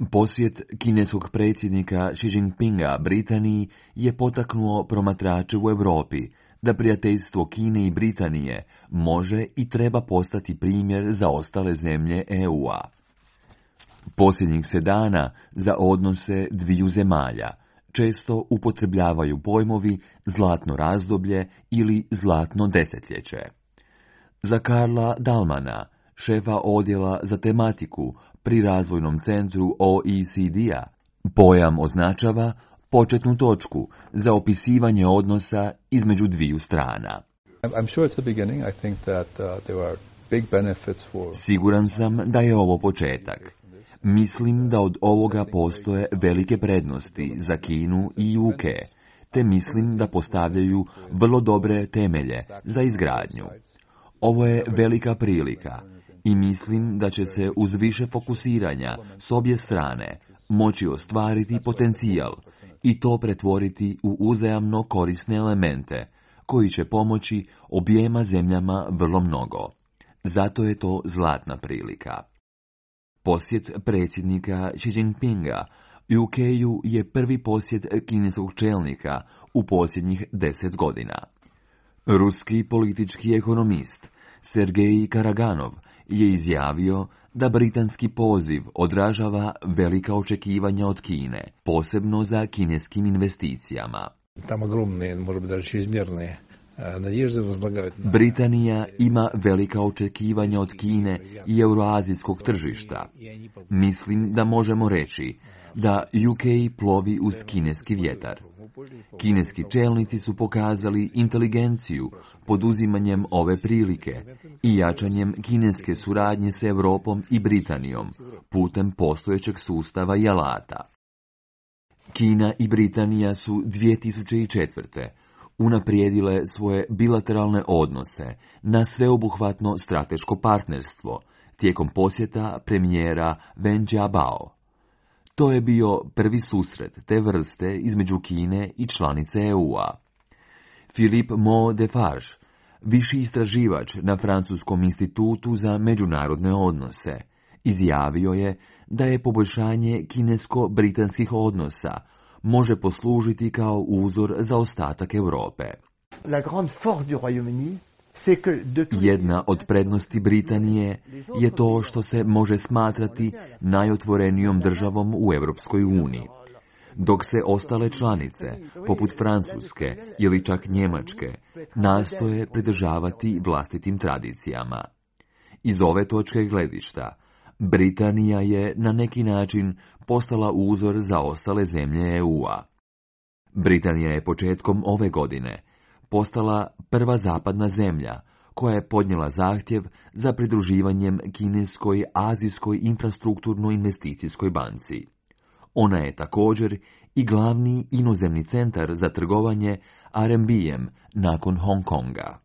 Posjet kineskog predsjednika Xi Jinpinga Britaniji je potaknuo promatrače u Europi da prijateljstvo Kine i Britanije može i treba postati primjer za ostale zemlje EU-a. Posljednjih se dana za odnose dviju zemalja često upotrebljavaju pojmovi zlatno razdoblje ili zlatno desetljeće. Za Karla Dalmana, šefa odjela za tematiku pri razvojnom centru OECD-a, pojam označava početnu točku za opisivanje odnosa između dviju strana. Siguran sam da je ovo početak. Mislim da od ovoga postoje velike prednosti za Kinu i UK, te mislim da postavljaju vrlo dobre temelje za izgradnju. Ovo je velika prilika i mislim da će se uz više fokusiranja s obje strane moći ostvariti potencijal i to pretvoriti u uzajamno korisne elemente koji će pomoći objema zemljama vrlo mnogo. Zato je to zlatna prilika. Posjet predsjednika Xi Jinpinga UK-u je prvi posjet kineskog čelnika u posljednjih 10 godina. Ruski politički ekonomist Sergej Karaganov je izjavio da britanski poziv odražava velika očekivanja od Kine, posebno za kineskim investicijama. Britanija ima velika očekivanja od Kine i euroazijskog tržišta. Mislim da možemo reći da UK plovi uz kineski vjetar. Kineski čelnici su pokazali inteligenciju poduzimanjem ove prilike i jačanjem kineske suradnje s Europom i Britanijom putem postojećeg sustava i alata. Kina i Britanija su 2004. unaprijedile svoje bilateralne odnose na sveobuhvatno strateško partnerstvo tijekom posjeta premijera Wen Jiabao. To je bio prvi susret te vrste između Kine i članice EU-a. Philippe Mo-Defarge, viši istraživač na Francuskom institutu za međunarodne odnose, izjavio je da je poboljšanje kinesko-britanskih odnosa može poslužiti kao uzor za ostatak Europe. Jedna od prednosti Britanije je to što se može smatrati najotvorenijom državom u Europskoj uniji, dok se ostale članice, poput Francuske ili čak Njemačke, nastoje pridržavati vlastitim tradicijama. Iz ove točke gledišta, Britanija je na neki način postala uzor za ostale zemlje EU-a. Britanija je početkom ove godine postala prva zapadna zemlja koja je podnijela zahtjev za pridruživanjem kineskoj Azijskoj infrastrukturnoj investicijskoj banci. Ona je također i glavni inozemni centar za trgovanje RMB-em nakon Hong Konga.